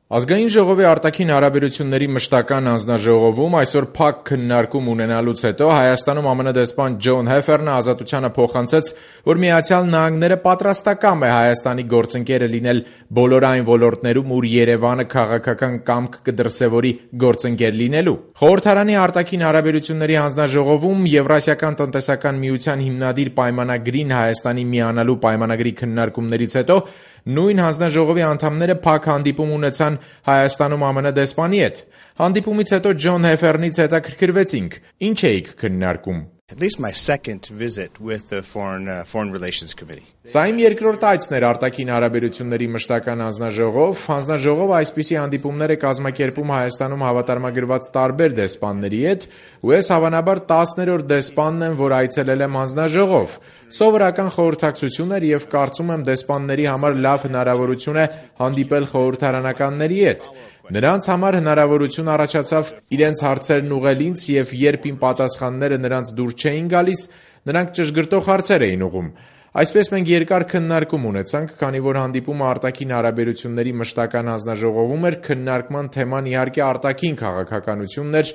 Ազգային ժողովի արտաքին հարաբերությունների մշտական հանձնաժողովում այսօր փակ քննարկում ունենալուց հետո Հայաստանում ԱՄՆ դեսպան Ջոն Հեֆերնը Ազատությանը փոխանցեց, որ Միացյալ Նահանգները պատրաստակամ է Հայաստանի գործընկերը լինել բոլոր այն ոլորտներում, ուր Երևանը քաղաքական կամք կդրսևորի գործընկեր լինելու։ Խորհրդարանի արտաքին հարաբերությունների հանձնաժողովում Եվրասիական տնտեսական միության հիմնադիր պայմանագրին Հայաստանի միանալու պայմանագրի քննարկումներից հետո նույն հանձնաժողովի անդամները փակ հանդիպում ունեցան Հայաստանում ԱՄՆ դեսպանի հետ։ Հանդիպումից հետո Ջոն Հեֆերնից հետաքրքրվեցինք. ինչ էիք քննարկում։ At least my second visit with the Foreign Relations Committee. Սա իմ երկրորդ այցն էր արտաքին հարաբերությունների մշտական հանձնաժողով։ Հանձնաժողովը այսպիսի հանդիպումներ է կազմակերպում Հայաստանում հավատարմագրված տարբեր դեսպանների հետ, ու ես հավանաբար 10-րդ դեսպանն եմ, որ այցելել եմ հանձնաժողով։ Սովորական խորհրդակցություն էր եւ կարծում եմ դեսպանների համար լավ հնարավորություն է հանդիպել խորհրդարանականների հետ։ Նրանց համար հնարավորություն առաջացավ իրենց հարցերն ուղղել ինձ եւ երբ իմ պատասխանները նրանց դուր չէին գալիս, նրանք ճշգրտող հարցեր էին ուղղում։ Այսպես մենք երկար քննարկում ունեցանք, քանի որ հանդիպումը արտաքին հարաբերությունների մշտական հանձնաժողովում էր, քննարկման թեման իհարկե արտաքին քաղաքականությունն էր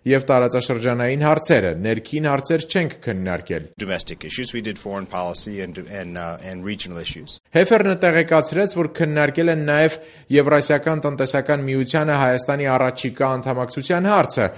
եւ տարածաշրջանային հարցերը, ներքին հարցեր չենք քննարկել։ Domestic issues, we did foreign policy and regional issues. Հեֆերնը տեղեկացրեց, որ քննարկել են նաեւ Եվրասիական տնտեսական միությանը Հայաստանի առաջիկա անդամակցության հարցը,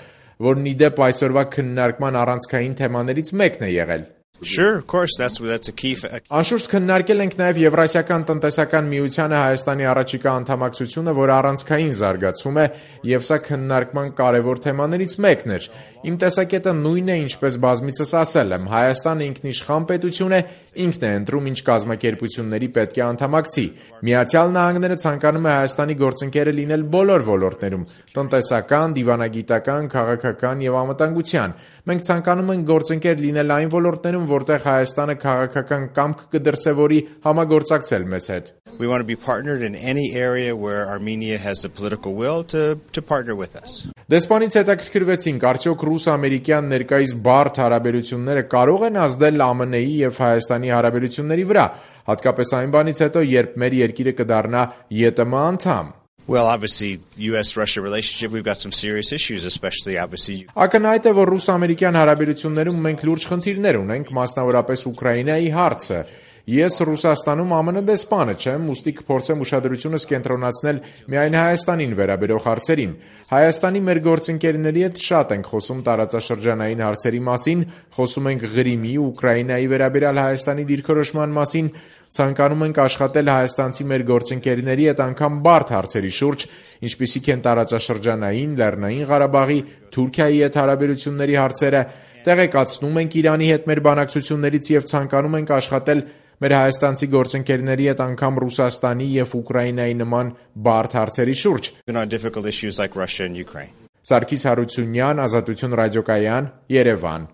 որն ի դեպ այսօրվա քննարկման առանցքային թեմաներից մեկն է եղել։ Sure, of course, that's a key. Անշուշտ քննարկել ենք նաև Եվրասիական տնտեսական միությանը Հայաստանի առաջիկա անդամակցությունը, որ առանցքային զարգացում է, եւ սա քննարկման կարևոր թեմաներից մեկն էր։ Իմ տեսակետը նույնն է, ինչպես բազմիցս ասել եմ, Հայաստանը ինքնիշխան պետություն է, ինքն է ընտրում ինչ կազմակերպությունների պետք է անդամակցի։ Միացյալ Նահանգները ցանկանում է Հայաստանի գործընկերը լինել բոլոր ոլորտներում՝ տնտեսական, դիվանագիտական, քաղաքական եւ անվտանգության։ Մենք ցանկանում ենք գործընկեր լինել այն ոլորտներում, որտեղ Հայաստանը քաղաքական կամք կդրսևորի համագործակցել մեզ հետ։ We want to be partnered in any area where Armenia has the political will to partner with us. Դեսպանից հետաքրքրվեցինք, արդյոք ռուս-ամերիկյան ներկայիս բարդ հարաբերությունները կարող են ազդել ԱՄՆ-ի եւ Հայաստանի հարաբերությունների վրա, հատկապես այն բանից հետո, երբ մեր երկիրը կդառնա ԵՏՄ անդամ։ Well, obviously, U.S.-Russia relationship, we've got some serious issues, especially obviously. Ակնհայտ է, որ ռուս-ամերիկյան հարաբերություններում մենք լուրջ խնդիրներ ունենք, մասնավորապես Ուկրաինայի հարցը։ Ես Ռուսաստանում ԱՄՆ դեսպանը չեմ, ուստի կփորձեմ ուշադրությունս կենտրոնացնել միայն Հայաստանին վերաբերող հարցերին։ Հայաստանի մեր գործընկերների հետ շատ ենք խոսում տարածաշրջանային հարցերի մասին, խոսում ենք Ղրիմի, Ուկրաինայի վերաբերյալ Հայաստանի դիրքորոշման մասին, ցանկանում ենք աշխատել հայաստանցի մեր գործընկերների հետ անգամ բարդ հարցերի շուրջ, ինչպիսիք են տարածաշրջանային, Լեռնային Ղարաբաղի, Թուրքիայի հետ հարաբերությունների հարցերը, տեղեկացնում ենք Իրանի հետ մեր բանակցություններից եւ ցանկանում ենք աշխատել մեր հայաստանցի գործընկերների հետ անգամ Ռուսաստանի եւ Ուկրաինայի նման բարդ հարցերի շուրջ։ Difficult issues like Russia and Ukraine. Սարգիս Հարությունյան, Ազատություն ռադիոկայան, Երևան։